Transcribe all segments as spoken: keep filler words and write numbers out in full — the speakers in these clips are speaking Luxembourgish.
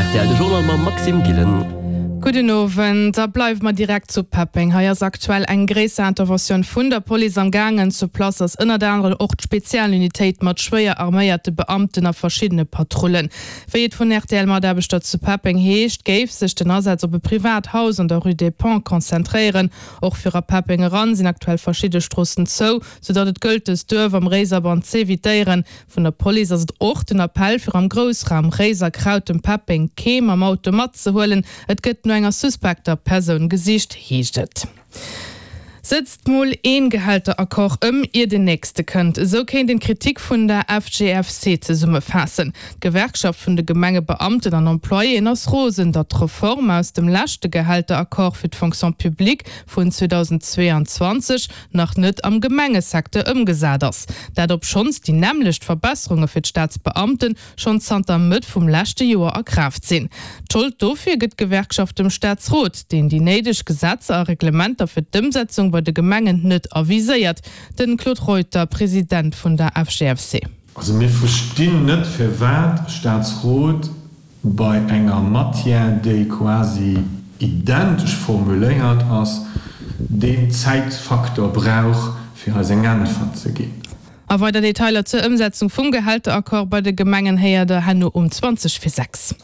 R T L, de Journal mam Maxime Gillen. Gudden Owend, da bleiwe mer direkt zu Peppeng. Hei ass aktuell eng gréisser Interventioun vun der Police am gaangen. Sur place ass ënnert anerem och d'Spezialunitéit mat schwéier arméierte Beamten a verschiddene Patrullen. Wéi et vun R T L-Mataarbechter zu Peppeng heescht, géif sech den Asaz op e privat Haus an der Rue des Ponts konzentréieren. Och fir a Peppeng eran sinn aktuell verschidde Stroossen zou, soudatt et gëllt dëst Duerf am Réiserbann z'evitéieren. Vun der Police ass et och den Appell fir am Groussraum Réiser, Krautem, Peppeng kee mam Auto matzehuelen. Et gëtt no enger suspekter Persoun gesicht, heescht et. Sëtzt mol een Gehälteraccord ëm, ier den nächste kënnt. Esou kéint een d'Kritik vun der F G F C zesummefaassen. D'Gewerkschaft vun de Gemengebeamten an Employéen ass rosen, datt d'Reform aus dem leschte Gehälteraccord fir d'Fonction publique vun zweedausendzweeanzwanzeg nach net am Gemengesecteur ëmgesat ass. Dat obschonns déi nämmlecht Verbesserunge fir d'Staatsbeamten schonn zanter Mëtt vum leschte Joer a Kraaft sinn. D'Schold dofir gëtt d'Gewerkschaft dem Staatsrot, deen déi néideg Gesetzer a Reglementer fir d'Ëmsetzung bei de Gemengen net aviséiert. Den Claude Reuter, President vun der F G F C. Also mir verstinn net, firwat Staatsrot bei enger Matière, déi quasi identesch formuléiert ass, deen Zäitfaktor brauch, fir eis eng Äntwert ze ginn. A weider Detailer zur Ëmsetzung vum Gehälteraccord bei de Gemengen héiert der herno um zwanzeg vir sechs.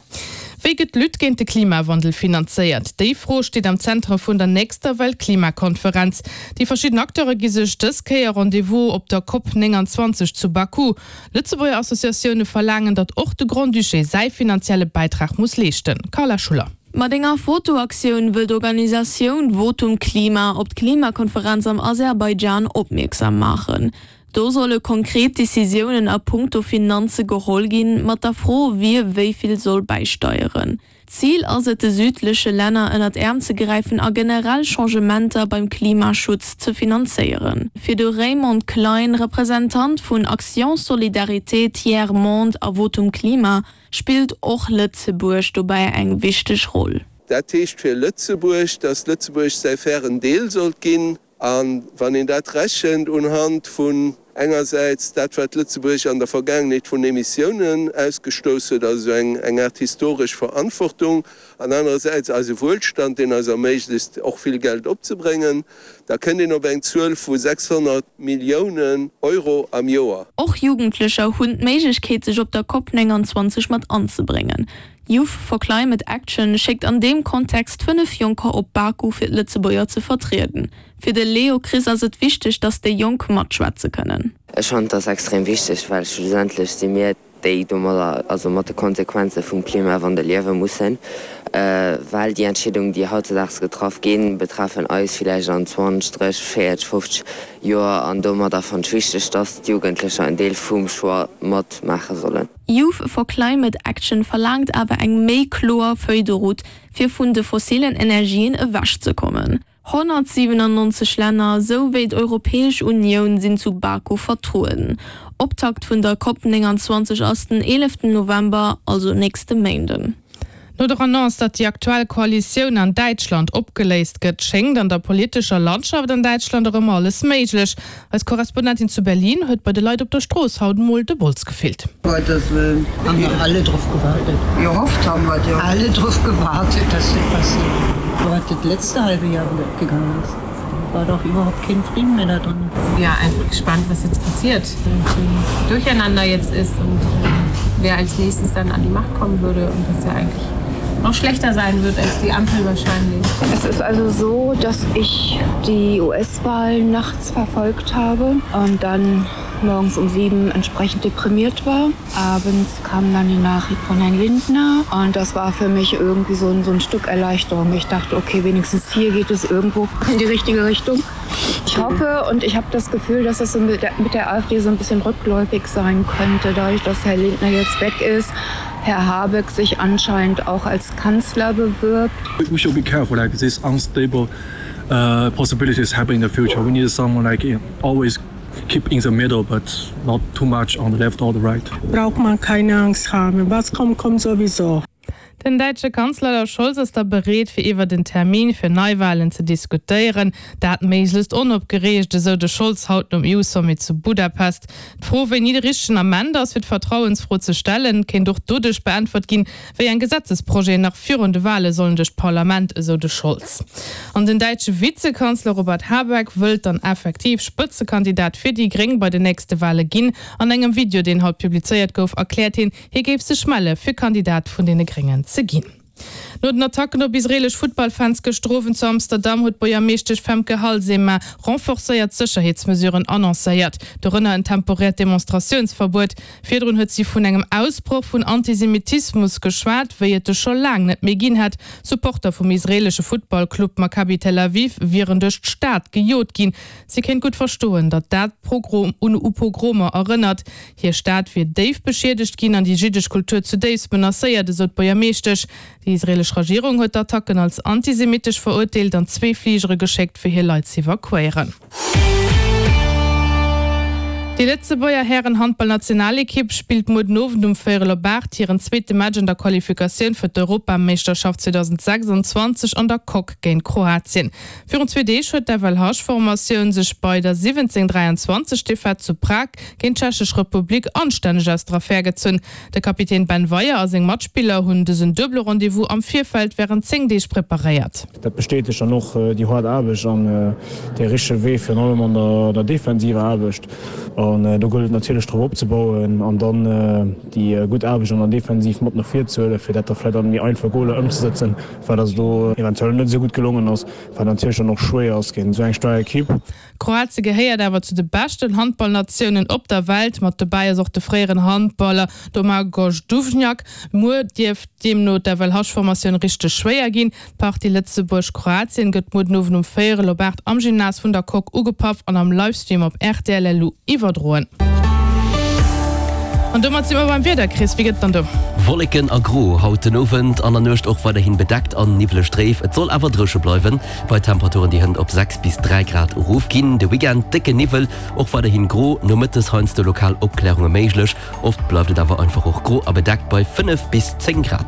Wéi gëtt d'Lutte géint de Klimawandel finanzéiert? Déi Fro steet am Zentrum vun der nächster Weltklimakonferenz. Déi verschidden Acteure gi sech dës Kéier Rendez-vous op der COP nénganzwanzeg zu Baku. Lëtzebuerger Associatioune verlaangen, datt och de Grand-Duché säi finanzielle Bäitrag muss leeschten. Carla Schuller. Mat enger Fotoaktioun wëll d'Organisatioun Votum Klima op d'Klimakonferenz am Aserbaidschan opmierksam maachen. Do solle konkret Decisiounen a punkto Finanze geholl ginn, mat der Fro, wie wéi vill soll bäisteieren. Zil ass et, de südleche Länner ënner d'Äerm ze gräifen a generell Changementer beim Klimaschutz ze finanzéieren. Fir de Raymond Klein, Representant vun Action Solidarité Tiers Monde a Votum Klima, spillt och Lëtzebuerg dobäi eng wichteg Roll. Dat heescht fir Lëtzebuerg, datt Lëtzebuerg säi fairen Deel sollt ginn. An wann een dat rechent unhand vun engersäits dat, wat Lëtzebuerg an der Vergaangenheet vun Emissiounen ausgestouss huet, also eng eng Aart historesch Verantwortung, an anerersäits eise Wuelstand, deen eis erméiglecht, och vill Geld opzebréngen, da kënnt een op eng Zuel vu sechshonnert Milliounen Euro am Joer. Och Jugendlecher hunn d'Méiglechkeet, sech op der COP nénganzwanzeg mat anzebréngen. Youth for Climate Action schéckt an deem Kontext fënnef Jonker op Baku fir d'Lëtzebuerger ze vertrieden. Fir de Leo Chris ass et wichteg, datt déi Jonk matschwätze kënnen. Ech fannen dat extrem wichteg, well schlussendlech si mir déi domadder, also mat de Konsequenze vum Klimawandel liewe mussen, äh, well déi Entscheedungen, déi hautzedaags getraff ginn, betreffen eis villäicht an zwanzeg, dräisseg, véierzeg, fofzeg Joer an domadder fannen ech wichteg, dass d'Jugendlecher en Deel vum Choix matmaache sollen. Youth for Climate Action verlaangt awer eng méi kloer Feuille de route, fir vun de fossilen Energien ewechzekommen. honnertsiwenannonzeg Länner sou wéi d'Europäesch Unioun sinn zu Baku vertrueden. Optakt vun der COP nénganzwanzeg ass den eeleften November, also nächste Méinden. No der Annonce, datt déi aktuell Koalitioun an Däitschland opgeléist gëtt, schéngt an der politescher Landschaft an Däitschland erëm alles méiglech. Eis Korrespondentin zu Berlin huet bei de Leit op der Strooss haut mol de Bols gefillt. Gottes Willen. Haben wir alle drauf gewartet. Gehofft haben wir ja. Alle drauf gewartet, dass das passiert. Was das letzte halbe Jahr wieder abgegangen ist. War doch überhaupt kein Frieden mehr da drin. Ja, einfach gespannt, was jetzt passiert. Wie Durcheinander jetzt ist und äh, wer als nächstes dann an die Macht kommen würde und was ja eigentlich noch schlechter sein wird als die Ampel wahrscheinlich. Es ist also so, dass ich die U S-Wahl nachts verfolgt habe und dann morgens um sieben entsprechend deprimiert war. Abends kam dann die Nachricht von Herrn Lindner und das war für mich irgendwie so ein, so ein Stück Erleichterung. Ich dachte, okay, wenigstens hier geht es irgendwo in die richtige Richtung. Ich hoffe und ich habe das Gefühl, dass es so mit der, mit der A F D so ein bisschen rückläufig sein könnte, dadurch, dass Herr Lindner jetzt weg ist. Herr Habeck sich anscheinend auch als Kanzler bewirbt. We should be careful, like this unstable uh, possibilities happen in the future. We need someone like always keep in the middle, but not too much on the left or the right. Braucht man keine Angst haben. Was kommt, kommt sowieso. Den däitsche Kanzler Scholz ass da bereet fir iwwer den Termin fir Neiwalen ze diskutéieren. Dat méiglechst onopgereegt, esou de Scholz haut nom E U-Sommet zu Budapest. D'Fro, wéini de richtegen Ament ass fir d'Vertrauensfro ze stellen, kéint och doduerch beäntwert ginn, wéi eng Gesetzesprojeten nach virun de Wale sollen duerch d'Parlament, esou de Scholz. An den däitsche Vizekanzler Robert Habeck wëllt dann effektiv Spëtzekandidat fir déi Gréng bei den nächste Wale ginn. An engem Video, deen haut publizéiert gouf, erkläert hien, hie géif sech melle fir Kandidat vun deene Gréngen ze ginn. No den Attacken op israelesch Futtballfans gëschter Owend zu Amsterdam huet d'Buergermeeschtesch Femke Halsema renforcéiert Sécherheetsmesuren annoncéiert, dorënner en temporäert Demonstratiounsverbuet. Virdrun huet si vun engem Ausbroch vun Antisemitismus geschwat, wéi et e scho laang net méi ginn hätt. Supporter vum israelesche Futtballclub Maccabi Tel Aviv wieren duerch d'Stad gejot ginn. Si kéint gutt verstoen, datt dat Pogrom un u Pogromer erënnert. Hir Stad wier déif beschiedegt ginn an déi jiddesch Kultur zudéifst menacéiert, esou d'Buergermeeschtesch. Déi israelesch Regierung huet d'Attacken als antisemitesch verurteelt an zwee Fligere geschéckt, fir hir Leit z'evakuéieren. Déi Lëtzebuerger Hären-Handballnationalekipp spillt muer den Owend um véierel op aacht hiren zweete Match an der Qualifikatioun fir d'Europameeschterschaft zweedausendsechsundzwanzeg an der Coque géint Kroatien. Virun zwee Deeg huet d'F L H-Formatioun sech bei der siwwenzéng dräianzwanzeg Defaite zu Prag géint d'Tschechesch Republik anstänneg aus der Affär gezunn. De Kapitän Ben Weyer a seng Matspiller hunn dësen duebele Rendez-vous am Virfeld wärend zéng Deeg preparéiert. Dat bestätegt dann och déi haart Aarbecht an dee richtege Wee, virun allem an der defensiver Aarbecht. An do gëllt et natierlech drop opzebauen an dann déi gutt Aarbecht an der Defensiv mat no vir ze huelen, fir dat da vläicht an méi einfach Goler ëmzesetzen, wat eis do eventuell net esou gutt gelongen ass, wat natierlech dann och schwéier ass géint esou eng staark Ekipp. Kroatie gehéiert awer zu de beschten Handballnatiounen op der Welt. Mat dobäi ass och de fréieren Handballer Domagoj Duvnjak. Muer dierft deemno d'F L H-Formatioun richteg schwéier ginn. D'Partie Lëtzebuerg-Kroatien gëtt muer den Owend um véierel op aacht am Gymnase vun der Coque ugepaff an am Livestream op R T L L U iwwerdroen. An domat si mer beim Wieder, Chris, wéi gëtt et dann do? Wolleken a gro haut den Owend, an der Nuecht och weiderhin bedeckt an niwweleg dréif. Et soll awer dréche bleiwen, bei Temperaturen déi hënt op sechs bis dräi Grad erofginn. De Weekend décke Niwwel, och weiderhin gro, nomëttes heiansdo lokal Opklärunge méiglech. Oft bleift et awer einfach och gro a bedeckt bei fënnef bis zéng Grad.